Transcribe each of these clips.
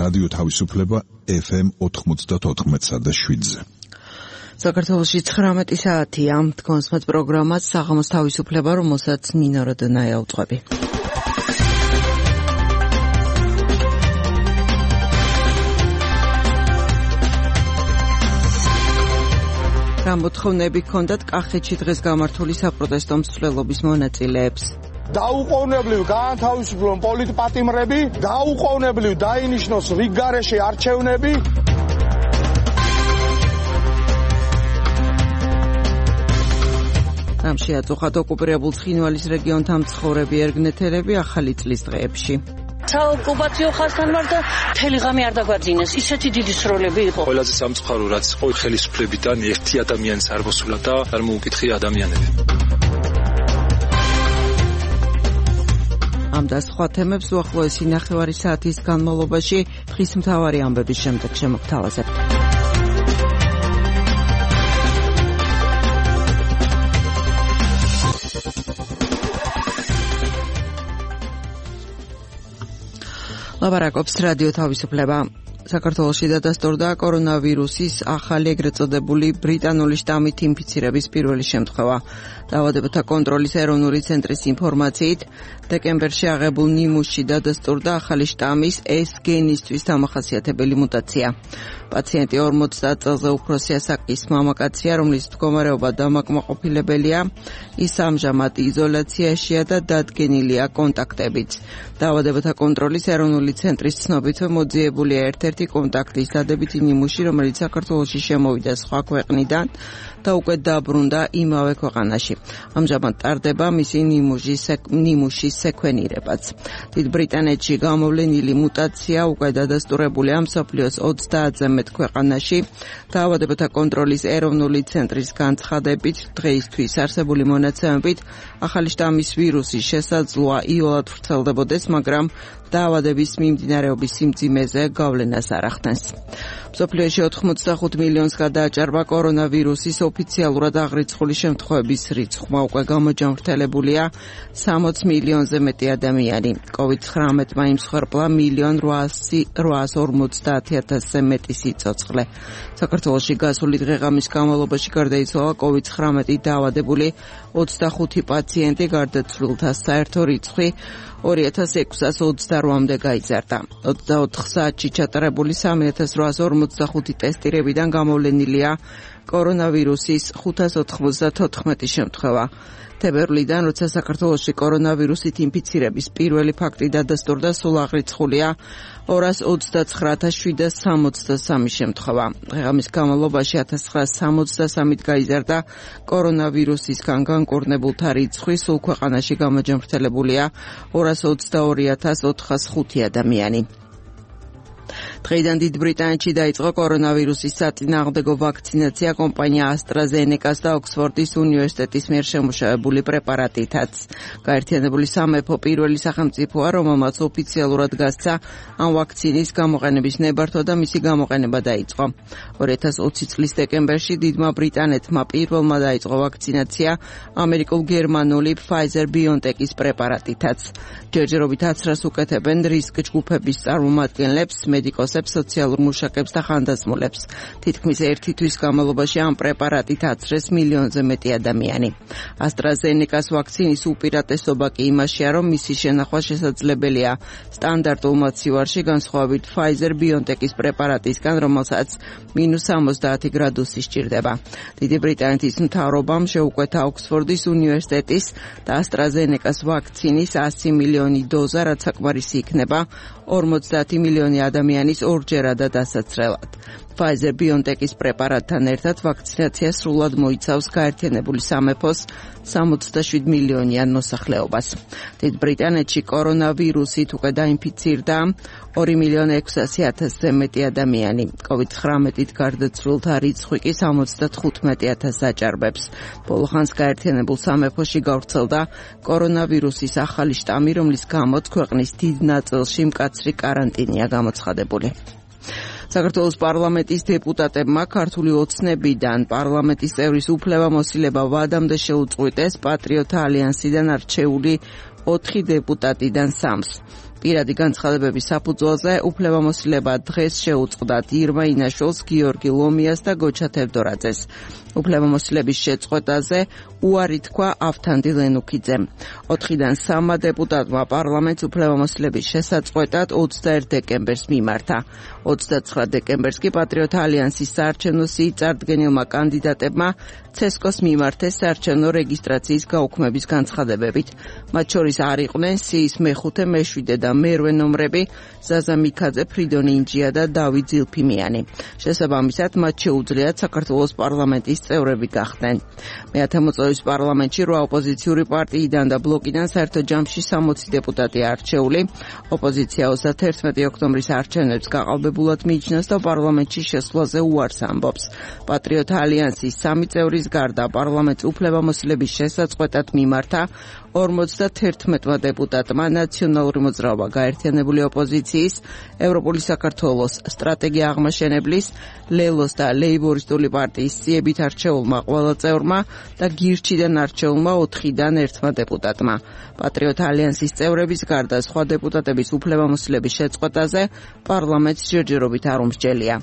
რადიო თავისუფლება FM 94.7-ზე. საქართველოში 19 საათია. თქვენსმეთ პროგრამას საღამოს თავისუფლება, რომელსაც ნინო როდონაია უძღვები. რა მოთხოვნები ჰქონდათ კახეთში დღეს გამართული საპროტესტო მსვლელობის მონაწილეებს? დაუყოვნებლივ გაანთავისუფლონ პოლიტპატიმრები, დაუყოვნებლივ დაინიშნოს რიგგარეშე არჩევნები. რამ შეაწუხათ ოკუპირებულ ცხინვალის რეგიონთან მცხოვრები ერგნეთელები ახალი წლის დღეებში? საოკუპაციო ხაზთან ვარ და მთელი ღამე არ დაგვაძინეს. ისეთი დიდი სროლები იყო. ყველაზე სამწუხარო რაც იყო ხელისუფლებიდან ერთი ადამიანის არ მოსულა და არ მოუკითხი ადამიანები. ამ და სხვა თემებს უახლოესი ნახევარი საათის განმავლობაში დღის მთავარი ამბების შემდეგ შემოგთავაზებთ. ლაპარაკობს რადიო თავისუფლება. საქართველოში დადასტურდა კორონავირუსის ახალი ეგრეთ წოდებული ბრიტანული შტამით ინფიცირების პირველი შემთხვევა. დაავადებათა კონტროლის ეროვნული ცენტრის ინფორმაციით, დეკემბერში აღებულ ნიმუშში დადასტურდა ახალი შტამის S გენისთვის დამახასიათებელი მუტაცია. პაციენტი 50 წელზე უფროსი ასაკის მამაკაცია, რომლის მდგომარეობა დამაკმაყოფილებელია. ის ამჟამად იზოლაციაშია და დადგენილია კონტაქტებიც. დაავადებათა კონტროლის ეროვნული ცენტრის ცნობით მოძიებულია ერთ-ერთი კონტაქტის დადებითი ნიმუში, რომელიც საქართველოში შემოვიდა სხვა ქვეყნიდან და უკვე დაბრუნდა იმავე ქვეყანაში. ამჟამად ტარდება მისი ნიმუშის სეკვენირებაც. დიდ ბრიტანეთში გამოვლენილი მუტაცია უკვე დადასტურებულია მსოფლიოს 30-ზე მეტ ქვეყანაში. დაავადებათა კონტროლის ეროვნული ცენტრის განცხადებით, დღეისთვის არსებული მონაცემებით, ახალი შტამის ვირუსის შესაძლოა იოლად ვრცელდებოდეს, მაგრამ დაავადების მიმდინარეობის სიმძიმეზე გავლენას არ ახდენს. მსოფლიოში 85 მილიონს გადააჭარბა კორონავირუსის ოფიციალურად აღრიცხული შემთხვევების რიცხვმა, უკვე გამოჯამრთელებულია 60 მილიონზე მეტი ადამიანი. COVID-19-მა იმსხვერპლა 1.850.000-ზე მეტი სიცოცხლე. საქართველოში გასული დღე-ღამის განმავლობაში გარდაიცვალა COVID-19 დაავადებული 25 პაციენტი, გარდაცვლილთა საერთო რიცხვი 2628-მდე გაიზარდა. 24 საათში ჩატარებული 3845 ტესტირებიდან გამოვლენილია კორონავირუსის 594 შემთხვევა. თებერვლიდან, როცა საქართველოში კორონავირუსით ინფიცირების პირველი ფაქტი დადასტურდა, სულ აღრიცხულია 229,763 შემთხვევა. დღეღამის განმავლობაში 1963-ით გაიზარდა კორონავირუსისგან განკურნებულთა რიცხვი, სულ ქვეყანაში გამოჯამრთელებულია 222,405 ადამიანი. დღეიდან დიდ ბრიტანეთში დაიწყო კორონავირუსის საწინააღმდეგო ვაქცინაცია კომპანია AstraZeneca-ს და ოქსფორდის უნივერსიტეტის მიერ შემუშავებული პრეპარატითაც. გაერთიანებული სამეფო პირველი სახელმწიფოა, რომელმაც ოფიციალურად გასცა ამ ვაქცინის გამოყენების ნებართვა და მისი გამოყენება დაიწყო. 2020 წლის დეკემბერში დიდმა ბრიტანეთმა პირველმა დაიწყო ვაქცინაცია ამერიკულ-გერმანული Pfizer-BioNTech-ის პრეპარატითაც. ჯერჯერობით აცრას უკეთებენ რისკ ჯგუფების წარმომადგენლებს, მედიკოსებს, სოციალურ მუშაკებს და ხანდაზმულებს. თითქმის ერთი თვის განმავლობაში ამ პრეპარატით აცრეს მილიონზე მეტი ადამიანი. AstraZeneca-ს ვაქცინის უპირატესობა კი იმაშია, რომ მისი შენახვა შესაძლებელია სტანდარტულ მოცივარში, განსხვავებით Pfizer-BioNTech-ის პრეპარატისგან, რომელსაც -70 გრადუსი სჭირდება. დიდი ბრიტანეთის მთავრობამ შეუკვეთა ოქსფორდის უნივერსიტეტის და AstraZeneca-ს ვაქცინის 100 მილიონი დოზა, რაც საკმარისი იქნება 50 მილიონი ადამიანის ორჯერადად დასაცრელად. Pfizer-BioNTech-ის პრეპარატთან ერთად ვაქცინაცია სრულად მოიცავს გაერთიანებული სამეფოს 67 მილიონიან მოსახლეობას. დიდ ბრიტანეთში კორონავირუსით უკვე დაინფიცირდა 2.600.000-ზე მეტი ადამიანი. COVID-19-ით გარდაცვლილთა რიცხვი კი 75,000-ს აჭარბებს. ბოლო ხანს გაერთიანებულ სამეფოში გავრცელდა კორონავირუსის ახალი შტამი, რომლის გამოც ქვეყნის დიდ ნაწილში მკაცრი კარანტინია გამოცხადებული. საქართველოს პარლამენტის დეპუტატებმა ქართული ოცნებიდან პარლამენტის წევრის უფლებამოსილება ვადამდე შეუწყვიტეს პატრიოტთა ალიანსიდან არჩეული 4 დეპუტატიდან 3-ს. პირადი განცხადებების საფუძველზე უფლებამოსილება დღეს შეუწყდათ ირმა ინაშვილს, გიორგი ლომიას და გოჩა თევდორაძეს. უფლებამოსილების შეწყვეტაზე უარი თქვა ავთანდი ლენუქიძემ. 4-დან 3 დეპუტატმა პარლამენტს უფლებამოსილების შესაწყვეტად 21 დეკემბერს მიმართა. 29 დეკემბერს კი პატრიოტთა ალიანსის საარჩევნო სიით წარდგენილმა კანდიდატებმა ცესკოს მიმართეს საარჩევნო რეგისტრაციის გაუქმების განცხადებებით. მათ შორის არ იყვნენ სიის მე-5, მე-7 და მე-8 ნომრები ზაზა მიქაძე, ფრიდონი ინჯია და დავით ზილფიმიანი. შესაბამისად, მათ შეუძლიათ საქართველოს პარლამენტის წევრები გახდნენ. მე-10 მოწვევის პარლამენტში 8 ოპოზიციური პარტიიდან და ბლოკიდან საერთო ჯამში 60 დეპუტატია არჩეული. ოპოზიცია 31 ოქტომბრის არჩევნებს გაყალბებულად მიიჩნევს და პარლამენტში შესვლაზე უარს ამბობს. პატრიოტთა ალიანსის 3 წევრის გარდა პარლამენტს უფლებამოსილების შესაწყვეტად მიმართა 51 დეპუტატმა ნაციონალური მოძრაობა, გაერთიანებული ოპოზიციის, ევროპული საქართველოს, სტრატეგია აღმაშენებლის, ლელოს და ლეიბორისტული პარტიის სიებით არჩეულმა ყველა წევრმა და გირჩიდან არჩეულმა 4-დან 1 დეპუტატმა. პატრიოტთა ალიანსის წევრების გარდა სხვა დეპუტატების უფლებამოსილების შეწყვეტაზე პარლამენტს ჯერჯერობით არ უმსჯელია.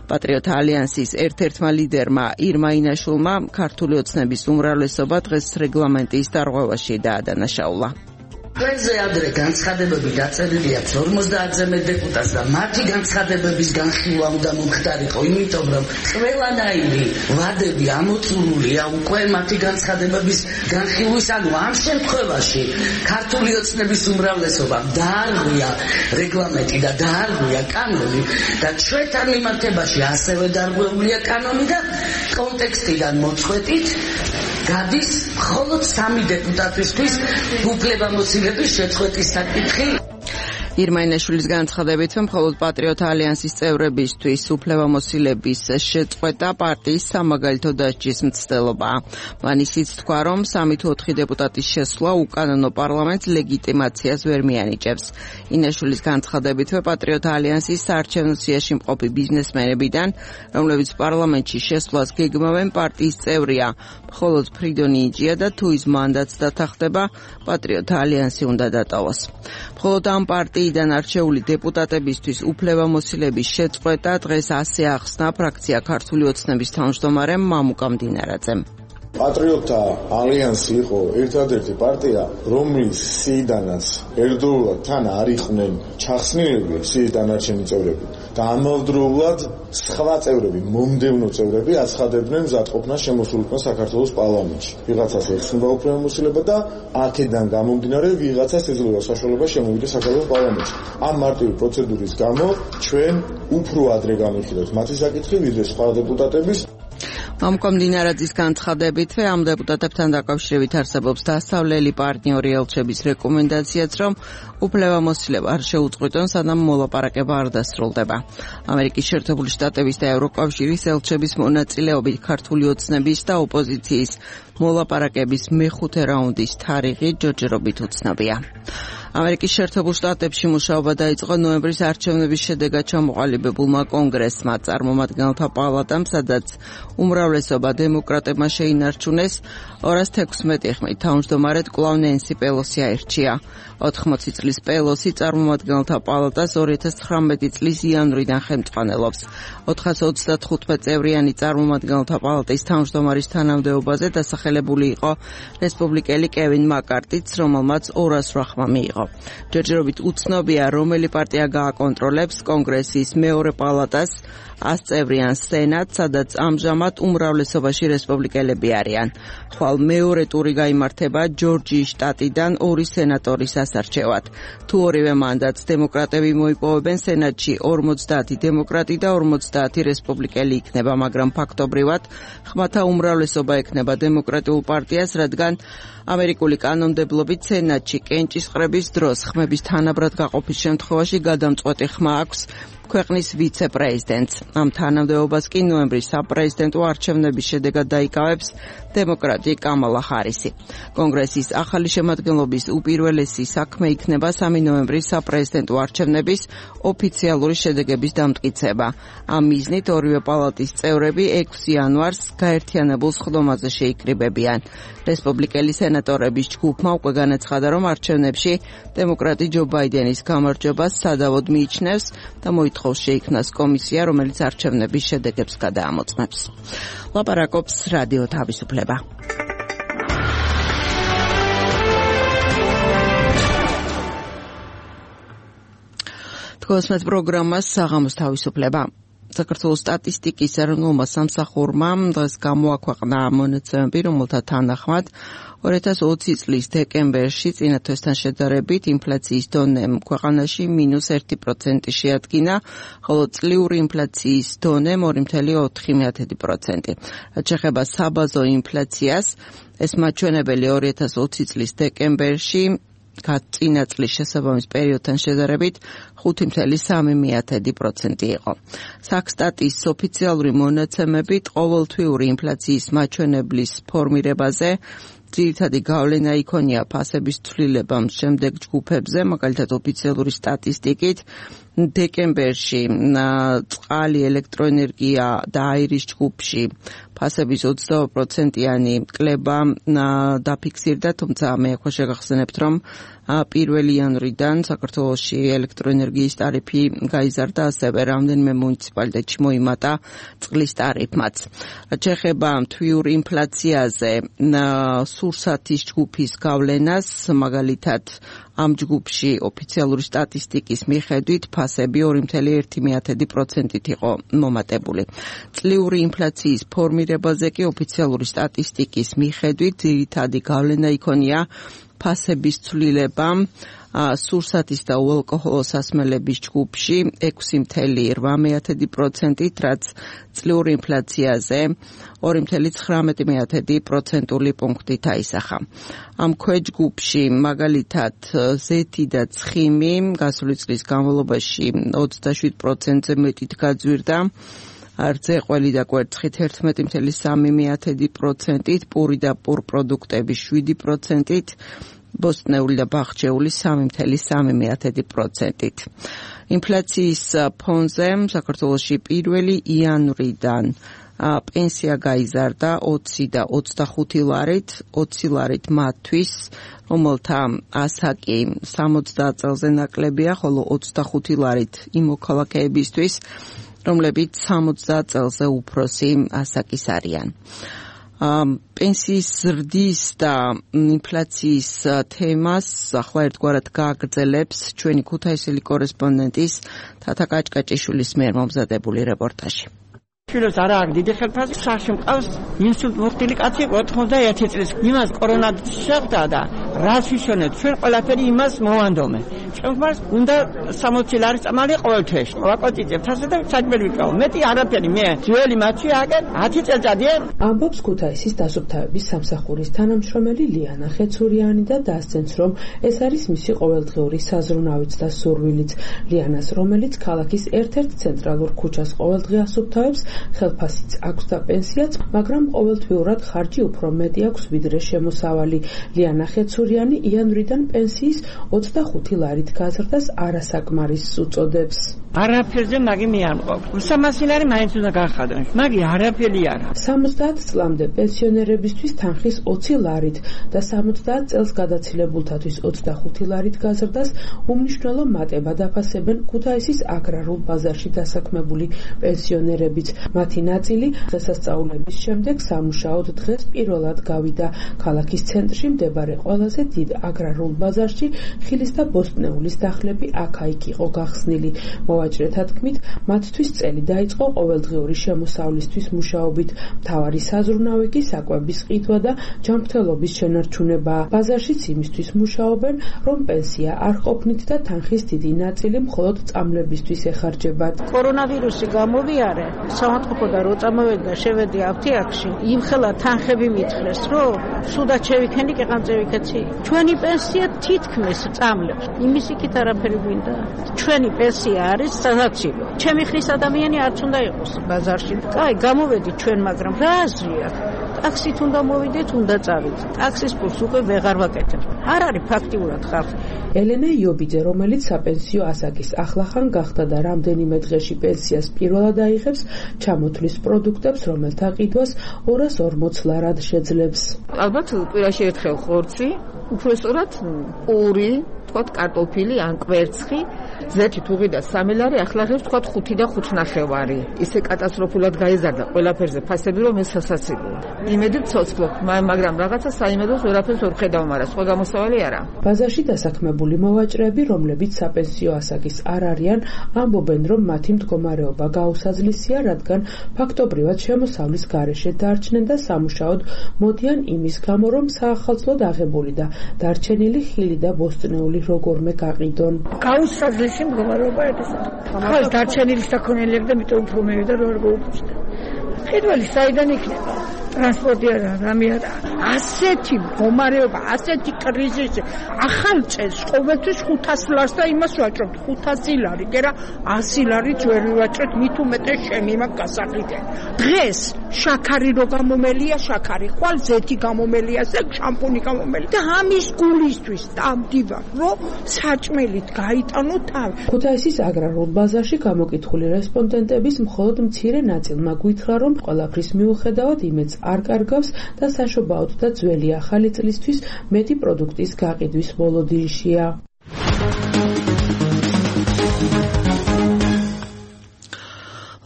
პატრიოტთა ალიანსის ერთ-ერთმა ლიდერმა ირმა ინაშვილმა ქართული ოცნების უმრავლესობა დღეს რეგლამენტის დარღვევაში დაადანაშაულა. ყველაზე ადრე განცხადებები დაწერილია 50-ზე მეტ დეპუტატს და მათი განცხადებების განხილვა უნდა მომხდარიყო, იმიტომ რომ ყველანაირი ვადები ამოწურულია უკვე მათი განცხადებების განხილვის, ანუ ამ შემთხვევაში ქართული ოცნების უმრავლესობამ დაარღვია რეგლამენტი და დაარღვია კანონი და ჩვენთან მიმართებაში ასევე დაარღვეულია კანონი და კონტექსტიდან მოწყვეტით გადის მხოლოდ 3 დეპუტატისთვის უფლებამოსილების შეწყვეტის საკითხი. ირმა ინაშვილის განცხადებით, მხოლოდ პატრიოტთა ალიანსის წევრებისთვის უფლებამოსილების შეწყვეტა პარტიის სამაგალითო დასჯის მცდელობაა. მან ისიც თქვა, რომ 3 თუ 4 დეპუტატის შესვლა უკანონო პარლამენტს ლეგიტიმაციას ვერ მიანიჭებს. ინაშვილის განცხადებით, პატრიოტთა ალიანსის საარჩევნო სიაში მყოფი ბიზნესმენებიდან, რომლებიც პარლამენტში შესვლას გეგმავენ, პარტიის წევრია მხოლოდ ფრიდონი ინჯია და თუ ის მანდატს დათანხმდება, პატრიოტთა ალიანსი უნდა დატოვოს. მხოლოდ ამ პარტიიდან არჩეული დეპუტატებისთვის უფლებამოსილების შეწყვეტა დღეს ასე ახსნა ფრაქცია ქართული ოცნების თავმჯდომარემ მამუკა მდინარაძემ. პატრიოტთა ალიანსი იყო ერთადერთი პარტია, რომლის სიიდანაც ერთდროულად თან არ იყვნენ ჩახსნილები სიის დანარჩენი წევრები და ამავდროულად სხვა წევრები, მომდევნო წევრები აცხადებდნენ მზადყოფნას შემოსულიყვნენ საქართველოს პარლამენტში. ვიღაცას ეხსნება უფლებამოსილება და აქედან გამომდინარე ვიღაცას ეძლევა საშუალება შემოვიდეს საქართველოს პარლამენტში. ამ მარტივი პროცედურის გამო ჩვენ უფრო ადრე განვიხილავთ მათი საკითხი, ვიდრე სხვა დეპუტატების. მამუკა მდინარაძის განცხადებით, ამ დეპუტატებთან დაკავშირებით არსებობს დასავლელი პარტნიორი ელჩების რეკომენდაციაც, რომ უფლებამოსილება არ შეუწყვიტონ, სანამ მოლაპარაკება არ დასრულდება. ამერიკის შეერთებული შტატების და ევროკავშირის ელჩების მონაწილეობით ქართული ოცნების და ოპოზიციის მოლაპარაკების მე-5 რაუნდის თარიღი ჯერჯერობით უცნობია. ამერიკის შეერთებულ შტატებში მუშაობა დაიწყო ნოემბრის არჩევნების შედეგად ჩამოყალიბებულმა კონგრესმა, წარმომადგენელთა პალატამ, სადაც უმრავლესობა დემოკრატებმა შეინარჩუნეს 216 ხმით. თავმჯდომარედ კვლავ ნენსი პელოსი აირჩია. 80 წლის პელოსი წარმომადგენელთა პალატას 2019 წლის იანვრიდან ხელმძღვანელობს. 435 წევრიანი წარმომადგენელთა პალატის თავმჯდომარის თანამდებობაზე დასახელებული იყო რესპუბლიკელი კევინ მაკარტიც, რომელმაც 208 ხმა მიიღო. ჯერჯერობით უცნობია, რომელი პარტია გააკონტროლებს კონგრესის მეორე პალატას, 100 წევრიან სენატს, სადაც ამჟამად უმრავლესობაში რესპუბლიკელები არიან. ხვალ მეორე ტური გაიმართება ჯორჯიის შტატიდან 2 სენატორის ასარჩევად. თუ ორივე მანდატს დემოკრატები მოიპოვებენ, სენატში 50 დემოკრატი და 50 რესპუბლიკელი იქნება, მაგრამ ფაქტობრივად ხმათა უმრავლესობა ექნება დემოკრატიულ პარტიას, რადგან ამერიკული კანონმდებლობით სენატში კენჭისყრების დროს ხმების თანაბრად გაყოფის შემთხვევაში გადამწყვეტი ხმა აქვს ქვეყნის ვიცე-პრეზიდენტს. ამ თანამდებობას კი ნოემბრის საპრეზიდენტო არჩევნების შედეგად დაიკავებს დემოკრატი კამალა ჰარისი. კონგრესის ახალი შემადგენლობის უპირველესი საქმე იქნება 3 ნოემბრის საპრეზიდენტო არჩევნების ოფიციალური შედეგების დამტკიცება. ამ მიზნით ორივე პალატის წევრები 6 იანვარს გაერთიანებულ სხდომაზე შეიკრიბებიან. რესპუბლიკელი სენატორების ჯგუფმა უკვე განაცხადა, რომ არჩევნებში დემოკრატი ჯო ბაიდენის გამარჯვებას სადავოდ მიიჩნევს და მოითხოვს შეიქმნას კომისია, რომელიც არჩევნების შედეგებს გადაამოწმებს. ლაპარაკობს რადიო თავისუფლება. თქვენს პროგრამას საღამოს თავისუფლება. საქართველოს სტატისტიკის ეროვნულმა სამსახურმა დღეს გამოაქვეყნა მონაცემები, რომელთა თანახმად 2020 წლის დეკემბერში წინა თვესთან შედარებით ინფლაციის დონე ქვეყანაში -1% შეადგინა, ხოლო წლიური ინფლაციის დონე 2.4%. რაც შეეხება საბაზო ინფლაციას, ეს მაჩვენებელი 2020 წლის დეკემბერში წინა წლის შესაბამის პერიოდთან შედარებით 5.3% იყო. საქსტატის ოფიციალური მონაცემებით ყოველთვიური ინფლაციის მაჩვენებლის ფორმირებაზე ძირითადი გავლენა იქონია ფასების ცვლილებამ შემდეგ ჯგუფებზე, მაგალითად ოფიციალური სტატისტიკით დეკემბერში წყალი, ელექტროენერგია და აირის ჯგუფში ფასების 20%-იანი კლება დაფიქსირდა, თუმცა მე ახლა შეგახსენებთ, რომ 1 იანვრიდან საქართველოში ელექტროენერგიის ტარიფი გაიზარდა, ასევე რამდენიმე მუნიციპალიტეტში მოიმატა წყლის ტარიფმაც. რაც შეეხება თვიურ ინფლაციაზე, სურსათის ჯგუფის გავლენას, მაგალითად ამ ჯგუფში ოფიციალური სტატისტიკის მიხედვით ფასები 2.1%-ით იყო მომატებული. წლიური ინფლაციის ფორმირებაზე კი ოფიციალური სტატისტიკის მიხედვით ძირითადი გავლენა იქონია ფასების ცვლილებამ სურსათის და უალკოჰოლო სასმელების ჯგუფში 6.8%-ით, რაც წლიური ინფლაციაზე 2.19% პუნქტით აისახა. ამ ქვეჯგუფში მაგალითად ზეთი და ცხიმი გასული წლის განმავლობაში 27%-ზე მეტით გაძვირდა, რძეყველი და კვერცხით 11.3%-ით, პური და პურპროდუქტები 7%-ით, ბოსტნეული და ბაღჩეული 3.3%-ით. ინფლაციის ფონზე საქართველოში 1 იანვრიდან პენსია გაიზარდა 20 და 25 ლარით, 20 ლარით მათთვის, რომელთა ასაკი 60 წელზე ნაკლებია, ხოლო 25 ლარით იმ მოქალაქეებისთვის, რომლებიც 60 წელზე უფროსი ასაკის არიან. პენსიის ზრდის და ინფლაციის თემას ახლა ერთგვარად გააგრძელებს ჩვენი ქუთაისელი კორესპონდენტის თათა კაჭკაჭიშვილის მიერ მომზადებული რეპორტაჟი. შვილებს არა აქვს დიდი ხელფასი, სახში მყავს ინსულტ მოხდილი კაცი 91 წლის. იმას კორონავირუსი შეხვდა და რას ვიშონეთ, ჩვენ ყველაფერი იმას მოვანდომე. ჩვენ გვარს უნდა 60 ლარის წამალი ყოველ თვეში. ვაკოტიძებ თასა და საჭმელი ვიკავ. მეტი არაფერი მე ძველი მათში აგერ 10 წელიწადია. ამბობს ქუთაისის დასუფთავების სამსახურის თანამშრომელი ლიანა ხეცურიანი და დასცენს, რომ ეს არის მისი ყოველდღიური საზრუნავიც და სურვილიც. ლიანას, რომელიც ქალაქის ერთ-ერთ ცენტრალურ ქუჩას ყოველდღე ასუფთავებს, ხელფასიც აქვს და პენსიაც, მაგრამ ყოველთვიურად ხარჯი უფრო მეტი აქვს ვიდრე შემოსავალი. ლიანა ხეცურიანი იანვრიდან პენსიის 25 ლარით გაზრდას არასაკმარისს უწოდებს. არაფერზე მაგი მე არ მყავს. 300 ლარი მაინც უნდა გახადონ. მაგი არაფერი არა. 70 წლამდე პენსიონერებისთვის თანხის 20 ლარით და 70 წელს გადაცილებულთათვის 25 ლარით გაზრდას უმნიშვნელო მატება დაფასებენ ქუთაისის აგრარულ ბაზარში დასაქმებული პენსიონერებიც. მათი ნაწილი დღესასწაულების შემდეგ სამუშაოდ დღეს პირველად გავიდა ქალაქის ცენტრში მდებარე ყველაზე დიდ აგრარულ ბაზარში. ხილის და ბოსტნეულის დახლები აქა-იქ იყო გახსნილი. მოვაჭრეთა თქმით, მათთვის წელი დაიწყო ყოველდღიური შემოსავლისთვის მუშაობით. მთავარი საზრუნავი კი საკვების ყიდვა და ჯანმრთელობის შენარჩუნებაა. ბაზარშიც იმისთვის მუშაობენ, რომ პენსია არ ყოფნით და თანხის დიდი ნაწილი მხოლოდ წამლებისთვის ეხარჯებათ. კორონავირუსი გამოვიარე, სამართლობა და რო წამოვედა შევედი აფთიაქში, იმ ხელა თანხები მითხრეს, რომ სუდად შევიქენი კეყანწევიქეცი. ჩვენი პენსია თითქმის წამლებს. იმის იქით არაფერი გვინდა. ჩვენი პენსია არის საცილო. ჩემი ხრის ადამიანი არც უნდა იყოს ბაზარში. კაი, გამოვედით ჩვენ, მაგრამ რა აზრია? ტაქსით უნდა მოვიდეთ, უნდა წავიდეთ. ტაქსის ფულს უკვე ვეღარ ვაკეთებ. არ არის ფაქტიურად ხალხი. ელენე იობიძე, რომელიც საპენსიო ასაკის ახლახან გახდა და რამდენიმე დღეში პენსიას პირველად აიღებს, ჩამოთვლის პროდუქტებს, რომელთა ყიდვას 240 ლარად შეძლებს. ალბათ კვირაში ერთხელ ხორცი, უფრო სწორად პური, თქვათ კარტოფილი ან კვერცხი, ზეთი თუღი და 3 ლარი, ახლა ღირს თქვათ 5 და 5.5. ისე კატასტროფულად გაიზარდა ყველაფერზე ფასები, რომ ეს სასაცილოა. იმედით ცოცხლობ, მაგრამ რაღაცა საიმედოს ვერაფერს ვერ ხედავ, მაგრამ სხვა გამოსავალი არა. ბაზარში დასაქმებული მოვაჭრეები, რომლებიც საპენსიო ასაკის არ არიან, ამბობენ, რომ მათი მდგომარეობა გაუსაძლისია, რადგან ფაქტობრივად შემოსავლის გარეშე დარჩნენ და სამუშაოდ მოდიან იმის გამო, რომ საახალწლოდ აღებული და დარჩენილი ხილი და ბოსტნეული როგორმე გაყიდონ. გაუსაძლისი მდგომარეობა ეს. ხალ დარჩენილი საქონელები და მეტო უფრო მევიდა რომ არ გაუწევდა. ხიდველი საიდან იქნება? ტრანსპორტი არა, რამე არა. ასეთი მდგომარეობა, ასეთი კრიზისი. ახალ წელს ყოველთვის 500 ლარს და იმას ვაჭრობთ 500 ლარი, გერა 100 ლარიც ვერ ვაჭრეთ, მით უმეტეს შემი მაქვს გასაყიდე. დღეს შაქარი რო გამომელია, შაქარი, ხვალ ზეთი გამომელია, შამპუნი გამომელია და ამის გულისთვის დამდივარ, რომ საჭმელით გაიტანო თავი. ქუთაისის აგრარულ ბაზარში გამოკითხული რესპონდენტების მხოლოდ მცირე ნაწილმა გითხრა, რომ ყველაფრის მიუხედავად იმედს არ კარგავს და საშობაოდ და ძველი ახალი წლისთვის მეტი პროდუქტის გაყიდვის ბოლოდინშია.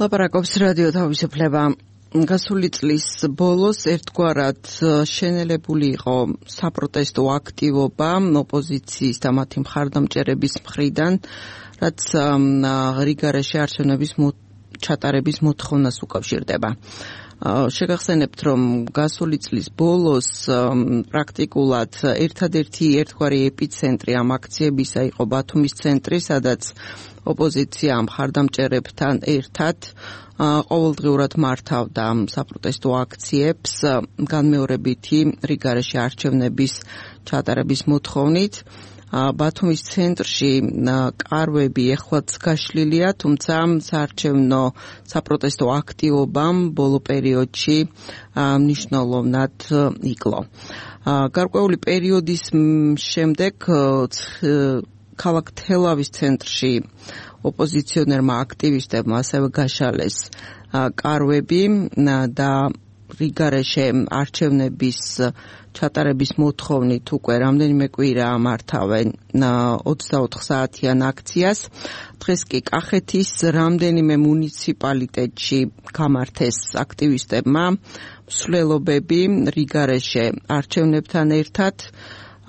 ლაპარაკობს რადიო თავისუფლება. გასული წლის ბოლოს ერთგვარად შენელებული იყო საპროტესტო აქტივობა ოპოზიციის და მათი მხარდამჭერების მხრიდან, რაც რიგარეშე არჩევნების ჩატარების მოთხოვნას უკავშირდება. შეგახსენებთ, რომ გასული წლის ბოლოს პრაქტიკულად ერთადერთი ერთგვარი ეპიცენტრი ამ აქციებისა იყო ბათუმის ცენტრი, სადაც ოპოზიცია მხარდამჭერებთან ერთად ყოველდღიურად მართავდა საპროტესტო აქციებს განმეორებითი რიგარეშე არჩევნების ჩატარების მოთხოვნით. ბათუმის ცენტრში კარვები ეხლაც გაშლილია, თუმცა საარჩევნო საპროტესტო აქტივობამ ბოლო პერიოდში მნიშვნელოვნად იკლო. გარკვეული პერიოდის შემდეგ ქალაქ თელავის ცენტრში ოპოზიციონერმა აქტივისტებმა ასევე გაშალეს კარვები და რიგარეშე არჩევნების ჩატარების მოთხოვნით უკვე რამდენიმე კვირა მართავენ 24 საათიან აქციას. დღეს კი კახეთის რამდენიმე მუნიციპალიტეტში გამართეს აქტივისტებმა მსვლელობები რიგარეშე არჩევნებთან ერთად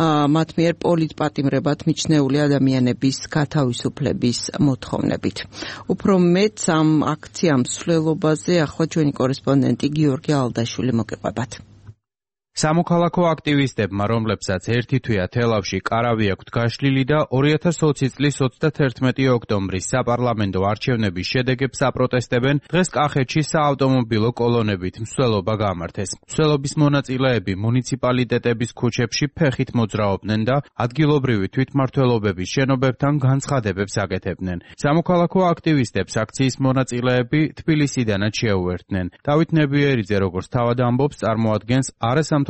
მათ მიერ პოლიტპატიმრებად მიჩნეული ადამიანების გათავისუფლების მოთხოვნებით. უფრო მეტ ამ აქციამ მსვლელობაზე ახლა ჩვენი კორესპონდენტი გიორგი ალდაშვილი მოგეყვებათ. სამოქალაქო აქტივისტებმა, რომლებსაც ერთი თვეა თელავში კარავი აქვთ გაშლილი და 2020 წლის 31 ოქტომბრის საპარლამენტო არჩევნების შედეგებს აპროტესტებენ, დღეს კახეთში საავტომობილო კოლონებით მსვლელობა გამართეს. მსვლელობის მონაწილეები მუნიციპალიტეტების ქუჩებში ფეხით მოძრაობდნენ და ადგილობრივი თვითმმართველობების შენობებთან განცხადებებს აკეთებდნენ. სამოქალაქო აქტივისტებს აქციის მონაწილეები თბილისიდანაც შეუერთდნენ. დავით ნებიერიძე, როგორც თავად ამბობს, წარმოადგენს არასამთავრობო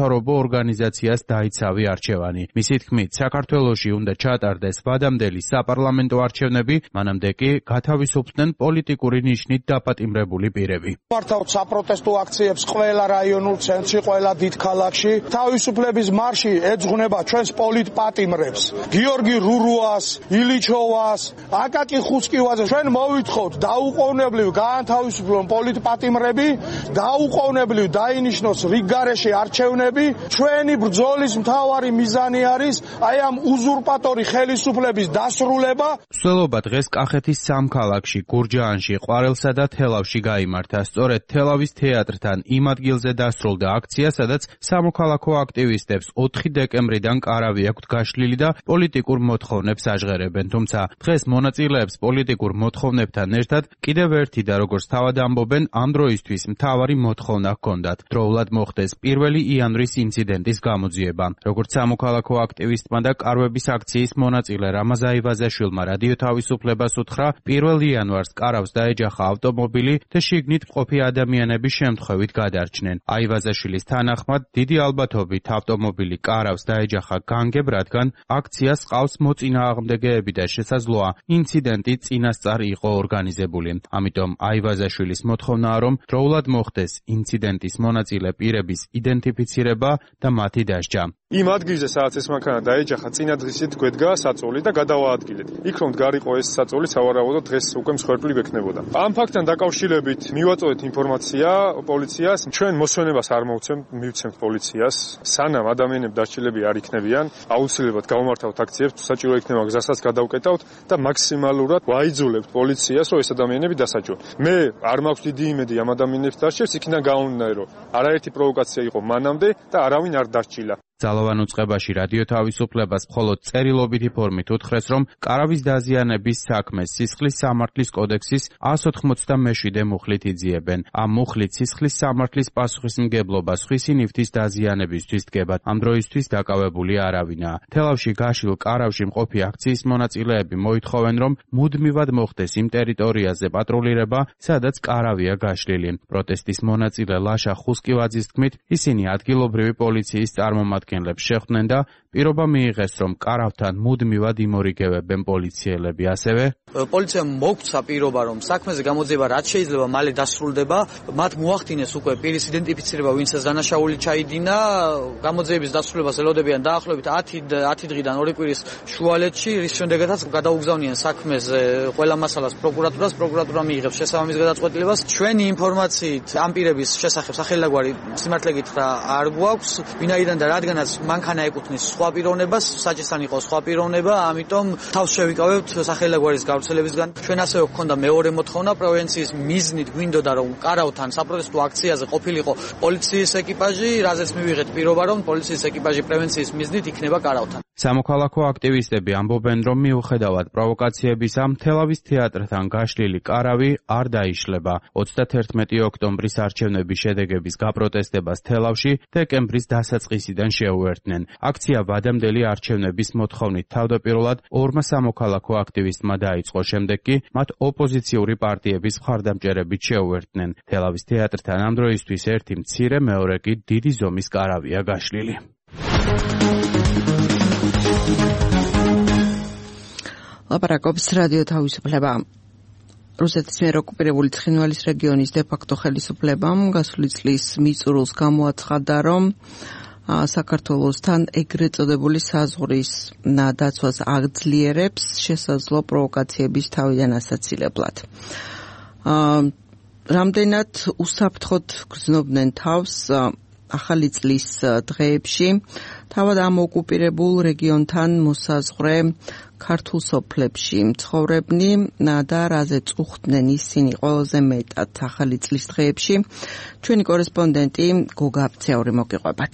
ორგანიზაციას დაიცავი არჩევანი. მისი თქმით, საქართველოში უნდა ჩატარდეს ვადამდელი საპარლამენტო არჩევნები, მანამდე კი გათავისუფლდნენ პოლიტიკური ნიშნით დაპატიმრებული პირები. მართავთ საპროტესტო აქციებს ყველა რაიონულ ცენტრში, ყველა დიდ ქალაქში. თავისუფლების მარში ეძღვნება ჩვენს პოლიტპატიმრებს. გიორგი რურუას, ილიჩოვას, აკაკი ხუცკივაძეს. ჩვენ მოვითხოვთ დაუყოვნებლივ გაანთავისუფლონ პოლიტპატიმრები, დაუყოვნებლივ დაინიშნოს რიგგარეშე არჩევნები. ჩვენი ბრძოლის მთავარი მიზანი არის აი ამ უზურპატორი ხელისუფლების დასრულება. მსვლელობა დღეს კახეთის სამ ქალაქში, გურჯაანში, ყვარელსა და თელავში გაიმართა. სწორედ თელავის თეატრთან იმ ადგილზე დასრულდა აქცია, სადაც სამოქალაქო აქტივისტებს 4 დეკემბრიდან კარავი აქვთ გაშლილი და პოლიტიკურ მოთხოვნებს აჟღერებენ. თუმცა დღეს მონაწილეებს პოლიტიკურ მოთხოვნებთან ერთად კიდევ ერთი და როგორც თავად ამბობენ, ამ დროისთვის მთავარი მოთხოვნა ჰქონდათ. დროულად მოხდეს 1 ჟანრის ინციდენტის გამოძიება. Როგორც სამოქალაქო აქტივისტმა და კარვების აქციის მონაწილე რამაზ აივაზაშვილმა რადიო თავისუფლებას უთხრა, 1 იანვარს კარავს დაეჯახა ავტომობილი და შიგნით მყოფი ადამიანების შემთხვევით გადარჩნენ. აივაზაშვილის თანახმად, დიდი ალბათობით ავტომობილი კარავს დაეჯახა განგებ, რადგან აქციას ყავს მოწინააღმდეგეები და შესაძლოა ინციდენტი წინასწარ იყო ორგანიზებული. ამიტომ აივაზაშვილის მოთხოვნაა, რომ დროულად მოხდეს ინციდენტის მონაწილე პირების იდენტიფიცირება და მათი დასჯა. იმ ადგილზე, სადაც ეს მანქანა დაეჯახა, წინადღისით გვედგა საწოლი და გადავაადგილეთ. იქ რომ დგარიყო ეს საწოლი, სავარაუდოდ დღეს უკვე მსხვერპლი ვექნებოდა. ამ ფაქტთან დაკავშირებით მივაწოდეთ ინფორმაცია პოლიციას. ჩვენ მოსვენებას არ მივცემთ პოლიციას. სანამ ადამიანები დასჯილები არ იქნებიან, აუცილებლად გავმართავთ აქციებს, საჭირო იქნება გზასაც გადავკეტავთ და მაქსიმალურად ვაიძულებთ პოლიციას, რომ ეს ადამიანები დასაჯონ. მე არ მაქვს დიდი იმედი ამ ადამიანებს დასჯებს, იქიდან გამომდინარე, რომ არაერთი პროვოკაცია იყო მანამდე და არავინ არ დასჯილა. ძალოვან უწყებაში რადიო თავისუფლებას მხოლოდ წერილობითი ფორმით უთხრეს, რომ კარავის დაზიანების საქმეს სისხლის სამართლის კოდექსის 187 მუხლით იძიებენ. ამ მუხლით სისხლის სამართლის პასუხისმგებლობა სხვისი ნივთის დაზიანებისთვის დგება. ამ დროისთვის დაკავებული არავინაა. თელავში გაშლილ კარავში მყოფი აქციის მონაწილეები მოითხოვენ, რომ მუდმივად მოხდეს იმ ტერიტორიაზე პატრულირება, სადაც კარავია გაშლილი. პროტესტის მონაწილე ლაშა ხუსკივაძის თქმით, ისინი ადგილობრივი პოლიციის წარმომადგენლებს შეხვდნენ და პირობა მიიღეს, რომ კარავთან მუდმივად იმორიგებებენ პოლიციელები. ასევე პოლიციამ მოგცა პირობა, რომ საქმეზე გამოძიება რაც შეიძლება მალე დასრულდება. მათ მოახდინეს უკვე პირის იდენტიფიცირება, ვინც ეს დანაშაული ჩაიდინა. გამოძიების დასრულებას ელოდებიან დაახლოებით 10 დღიდან 2 კვირის შუალედში, რის შემდეგაც გადაუგზავნიან საქმეზე ყველა მასალას პროკურატურას. პროკურატურა მიიღებს შესაბამის გადაწყვეტილებას. ჩვენი ინფორმაციით ამ პირების შესახებ სახელდაგვარი სიმართლე გითხრა არ გვაქვს, ვინაიდან და რადგანაც მანქანა ეკუთვნის სხვა პიროვნებას, საჭესთან იყო სხვა პიროვნება, ამიტომ თავს შევიკავებთ სახელდაგვარის გავრცელებისგან. ჩვენ ასევე გვქონდა მეორე მოთხოვნა პროვინციის მიზნით, გვინდოდა რომ კარავთან საპროტესტო აქციაზე ყოფილიყო პოლიციის ეკიპაჟი, რაზეც მივიღეთ პირობა, რომ პოლიციის ეკიპაჟი პრევენციის მიზნით იქნება კარავთან. სამოქალაქო აქტივისტები ამბობენ, რომ მიუხედავად პროვოკაციებისა, თელავის თეატრთან გაშლილი კარავი არ დაიშლება. 31 ოქტომბრის არჩევნების შედეგების გაპროტესტებას თელავში დეკემბრის დასაწყისიდან შეუერთდნენ. აქცია ვადამდელი არჩევნების მოთხოვნით თავდაპირველად ორმა სამოქალაქო აქტივისტმა დაიწყო, შემდეგ კი მათ ოპოზიციური პარტიების მხარდამჭერებით შეუერთდნენ. თელავის თეატრთან ამ დროისთვის ერთი მცირე, მეორე კი დიდი ზომის კარავია გაშლილი. ლაპარაკობს რადიო თავისუფლება. რუსეთის მიერ ოკუპირებული ცხინვალის რეგიონის დე-ფაქტო ხელისუფლებამ გასული წლის მიწურულს გამოაცხადა, რომ საქართველოსთან ეგრეთ წოდებული საზღვრის დაცვას აღძლიერებს შესაძლო პროვოკაციების თავიდან ასაცილებლად. რამდენად უსაფრთხოდ გრძნობდნენ თავს ახალი წლის დღეებში, თავად ამ ოკუპირებულ რეგიონთან მოსაზღვრე ქართულ სოფლებში მცხოვრებნი და რაზე წუხდნენ ისინი ყველაზე მეტად ახალი წლის დღეებში, ჩვენი კორესპონდენტი გოგა აბცეური მოგიყვებათ.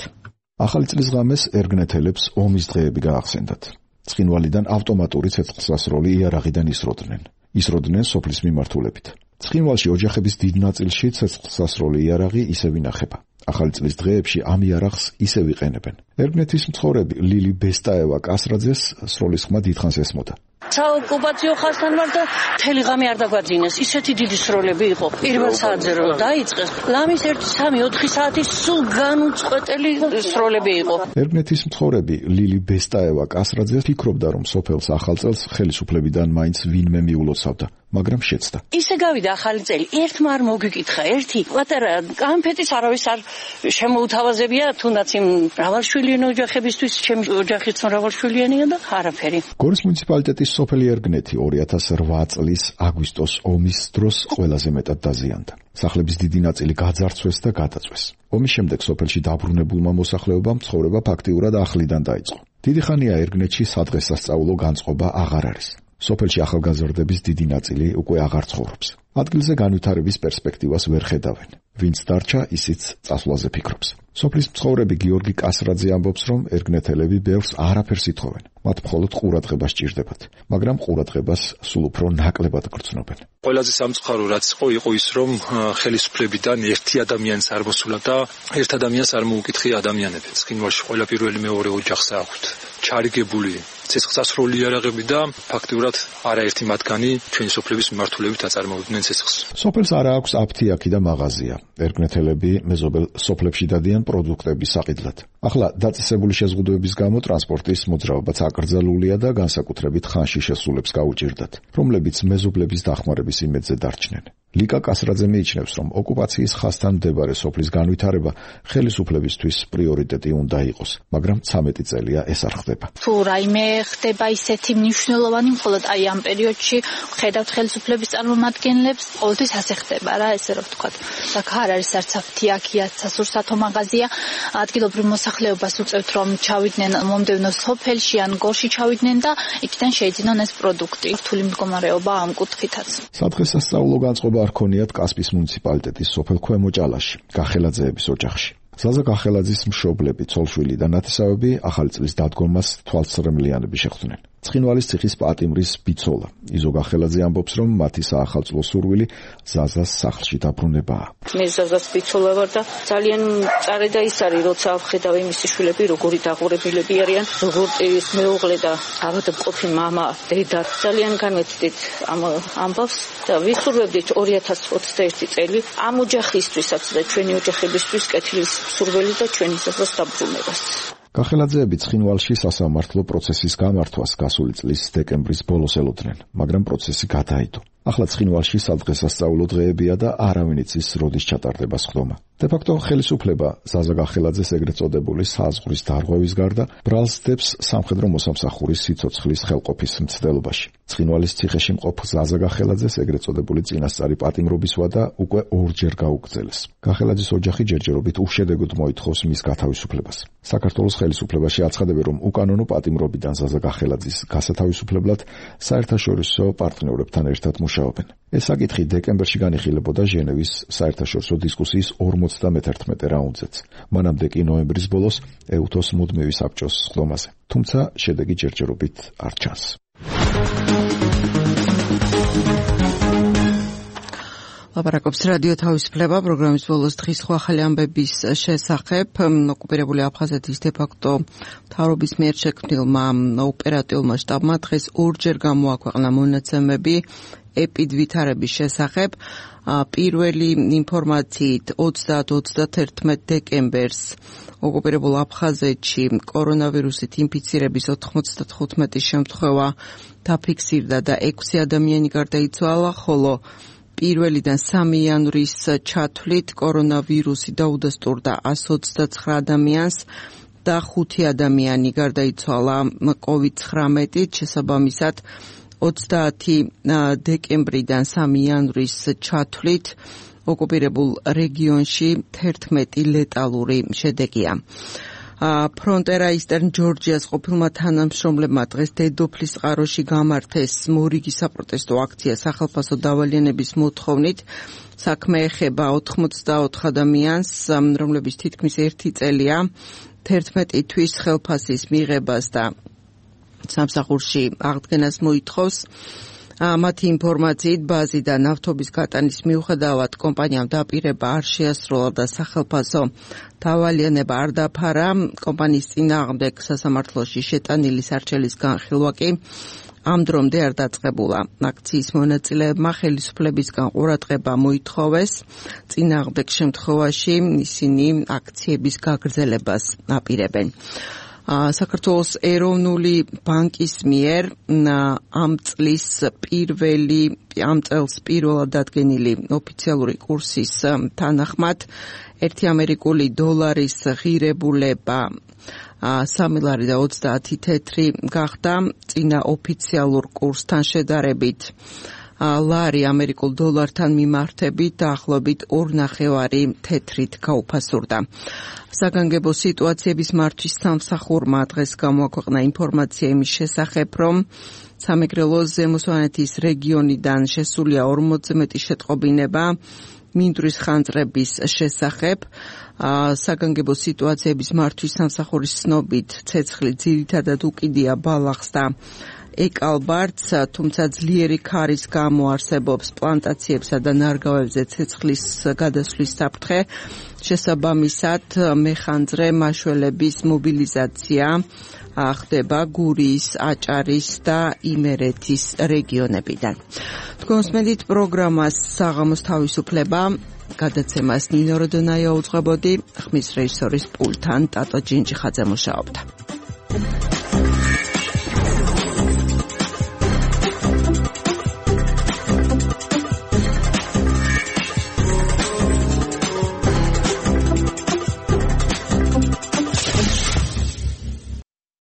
ახალი წლის ღამეს ერგნეთელებს ომის დღეები გაახსენდათ. ცხინვალიდან ავტომატური ცეცხლსასროლი იარაღიდან ისროდნენ სოფლის მიმართულებით. ცხინვალში ოჯახების დიდ ნაწილში ცეცხლსასროლი იარაღი ისევ ინახება. ახალი წლის დღეებში ამ იარაღს ისევ იყენებენ. ერგნეთის მცხოვრები ლილი ბესტაევა კასრაძეს სროლის ხმა დიდხანს ესმოდა. საოკუპაციო ხასთან ვარ და მთელი ღამე არ დაგვაძინეს. ისეთი დიდი სროლები იყო. პირველ საათზე რომ დაიწყეს, ლამის 1-3-4 საათი სულ განუწყვეტელი სროლები იყო. ერგნეთის მცხოვრები ლილი ბესტაევა კასრაძე ფიქრობდა, რომ სოფელს ახალ წელს ხელისუფლებიდან მაინც ვინმე მიულოცავდა, მაგრამ შეცდა. ისე გავიდა ახალი წელი, ერთმა არ მოგიკითხა, ერთი პატარა კამფეტის არავის არ შემოუთავაზებია, თუნდაც იმ მრავალშვილიანი ოჯახებისთვის, ჩემი ოჯახიც მრავალშვილიანია და არაფერი. გორის მუნიციპალიტეტის სოფელი ერგნეთი 2008 წლის აგვისტოს ომის დროს ყველაზე მეტად დაზიანდა. სახლების დიდი ნაწილი გაძარცვეს და გადაწვეს. ომის შემდეგ სოფელში დაბრუნებულმა მოსახლეობამ ცხოვრება ფაქტიურად ახლიდან დაიწყო. დიდი ხანია ერგნეთში სადღესასწაულო განწყობა აღარ არის. სოფელში ახალგაზრდების დიდი ნაწილი უკვე აღარ ცხოვრობს. ადგილზე განვითარების პერსპექტივას ვერ ხედავენ. ვინც დარჩა, ისიც წასვლაზე ფიქრობს. სოფლის მცხოვრები გიორგი კასრაძე ამბობს, რომ ერგნეთელები ბევრს არაფერს ითხოვენ. მათ მხოლოდ ყურადღება სჭირდებათ, მაგრამ ყურადღებას სულ უფრო ნაკლებად გრძნობენ. ყველაზე სამწუხარო რაც იყო ის, რომ ხელისუფლებიდან ერთი ადამიანს არ მოსულა და ერთ ადამიანს არ მოუკითხია ადამიანები. ცხინვალში ყველა პირველი მეორე ოჯახს აქვთ ჩარიგებული ცეცხლსასროლი იარაღები და ფაქტიურად არაერთი მათგანი ჩვენი სოფლების მიმართულებით აწარმოებდნენ ცეცხლს. სოფელს არა აქვს აფთიაქი და მაღაზია. ერგნეთელები მეზობელ სოფლებში დადიან პროდუქტების საყიდლად. ახლა დაწესებული შეზღუდვების გამო ტრანსპორტის მოძრაობაც აკრძალულია და განსაკუთრებით ხანში შესულებს გაუჭირდათ, რომლებიც მეზობლების დახმარების იმედზე დარჩნენ. ლიკა კასრაძე მიიჩნევს, რომ ოკუპაციის ხაზთან მდებარე სოფლის განვითარება ხელისუფლებისთვის პრიორიტეტი უნდა იყოს, მაგრამ 13 წელია ეს არ ხდება. თუ რაიმე ხდება ისეთი მნიშვნელოვანი, მხოლოდ აი ამ პერიოდში ხედავთ ხელისუფლების წარმომადგენლებს, ყოველთვის ასე ხდება რა, ესე რომ ვთქვათ. აქ არ არის არც აფთიაქია, სასურსათო მაღაზია, ადგილობრივ მოსახლეობას უწევთ, რომ ჩავიდნენ მომდევნო სოფელში ან გორში ჩავიდნენ და იქიდან შეიძინონ ეს პროდუქტი. რთული მდგომარეობა ამ კუთხითაც. სადღესასწაულო განწყობა არ ქონიათ კასპის მუნიციპალიტეტის სოფელ ქვემო ჭალაში, გახელაძეების ოჯახში. ზაზა გახელაძის მშობლები, ცოლშვილი და ნათესავები ახალი წლის დადგომას თვალსწრემლიანები შეხვდნენ. ცხინვალის ციხის პატიმრის ბიცოლა იზო გახელაძე ამბობს, რომ მათი საახალწლო სურვილი ზაზას სახლში დაბრუნებაა. მე ზაზას ბიცოლა ვარ და ძალიან მწარე და ის არის, როცა ვხედავ მისი შვილები როგორი დაღურებილები არიან, როგორ ის მეუღლე და ავადმყოფი მამა, დედა. ძალიან განვეცდით ამ ამბავს და ვისურვებდით 2021 წელი ამ ოჯახისთვისაც და ჩვენი ოჯახებისთვის კეთილის სურველი და ჩვენი ზაზას დაბრუნებას. გახელაძეები ცხინვალში სასამართლო პროცესის გამართვას გასული წლის დეკემბრის ბოლოს ელოდნენ, მაგრამ პროცესი გადაიდო. ახლა ცხინვალში სადღესასწაულო დღეებია და არავინ იცის, როდის ჩატარდება სხდომა. დე-ფაქტო ხელისუფლება ზაზა გახელაძეს ეგრეთ წოდებული საზღვრის დარღვევის გარდა ბრალს დებს სამხედრო მოსამსახურის სიცოცხლის ხელყოფის მცდელობაში. ცხინვალის ციხეში მყოფ ზაზა გახელაძეს ეგრეთ წოდებული წინასწარი პატიმრობის ვადა უკვე ორჯერ გაუგრძელეს. გახელაძის ოჯახი ჯერჯერობით უშედეგოდ მოითხოვს მის გათავისუფლებას. საქართველოს ხელისუფლებაში აცხადებენ, რომ უკანონო პატიმრობიდან ზაზა გახელაძის გასათავისუფლებლად საერთაშორისო პარტნიორებთან ერთად მუშაობენ. ეს საკითხი დეკემბერში განიხილებოდა ჟენევის საერთაშორისო დისკუსიის 51 რაუნდზეც. მანამდე კი ნოემბრის ბოლოს ეუთოს მუდმივი საბჭოს სხდომაზე. თუმცა შედეგი ჯერჯერობით არ ჩანს. ლაპარაკობს რადიო თავისუფლება პროგრამის ბოლოს დღის ახალი ამბების შესახებ. ოკუპირებული აფხაზეთის დე-ფაქტო მთავრობის მიერ შექმნილმა ოპერატიულმა შტაბმა დღეს ორჯერ გამოაქვეყნა მონაცემები ეპიდვითარების შესახებ. პირველი ინფორმაციით 30-31 დეკემბერს ოკუპირებულ აფხაზეთში კორონავირუსით ინფიცირების 95 შემთხვევა დაფიქსირდა და 6 ადამიანი გარდაიცვალა, ხოლო 1-დან 3 იანვრის ჩათვლით კორონავირუსი დაუდასტურდა 129 ადამიანს და 5 ადამიანი გარდაიცვალა COVID-19-ით. შესაბამისად 30 დეკემბრიდან 3 იანვრის ჩათვლით ოკუპირებულ რეგიონში 11 ლეტალური შედეგია. ფრონტერა ისტერნ ჯორჯიას ყოფილმა თანამშრომლებმა დღეს დედოფლის წყაროში გამართეს მორიგი საპროტესტო აქცია სახალხო დავალიანების მოთხოვნით. საქმე ეხება 84 ადამიანს, რომლებიც თითქმის 1 წელია 11 თვის ხელფასის მიღებას და სამსახურში აღდგენას მოითხოვს. მათი ინფორმაციით ბაზიდან ნავთობის გატანის მიუხედავად კომპანიამ დაპირება არ შეასრულა და სახელფასო დავალიანება არ დაფარა. კომპანიის წინააღმდეგ სასამართლოში შეტანილი სარჩელის განხილვა კი ამ დრომდე არ დაწყებულა. აქციის მონაწილეებმა ხელისუფლებისგან ყურადღება მოითხოვეს. წინააღმდეგ შემთხვევაში ისინი აქციების გაგრძელებას აპირებენ. საქართველოს ეროვნული ბანკის მიერ ამ წელს პირველად დადგენილი ოფიციალური კურსის თანახმად 1 ამერიკული დოლარის ღირებულება 3 ლარი და 30 თეთრი გახდა წინა ოფიციალურ კურსთან შედარებით. ლარი ამერიკულ დოლართან მიმართებით დაახლოებით 2.5 თეთრით გაუფასურდა. საგანგებო სიტუაციების მართვის სამსახურმა დღეს გამოაქვეყნა ინფორმაცია იმის შესახებ, რომ სამეგრელოს ზემო სვანეთის რეგიონიდან შესულია 40-ზე მეტი შეტყობინება მინდვრის ხანძრების შესახებ. საგანგებო სიტუაციების მართვის სამსახურის ცნობით ცეცხლი ძირითადად უკიდია ბალახს და ეკალბარდს, თუმცა ძლიერი ქარის გამო არსებობს პლანტაციებსა და ნარგავებზე ცეცხლის გადასვლის საფრთხე. შესაბამისად, მეხანძრე მაშველების მობილიზაცია ხდება გურიის, აჭარის და იმერეთის რეგიონებიდან. თქვენს მედით პროგრამას საღამოს თავისუფლება გადაცემას ნინო როდონაია უძღვებოდი, ხმის რეჟისორის პულტთან ტატო ჯინჯიხაძე მუშაობდა.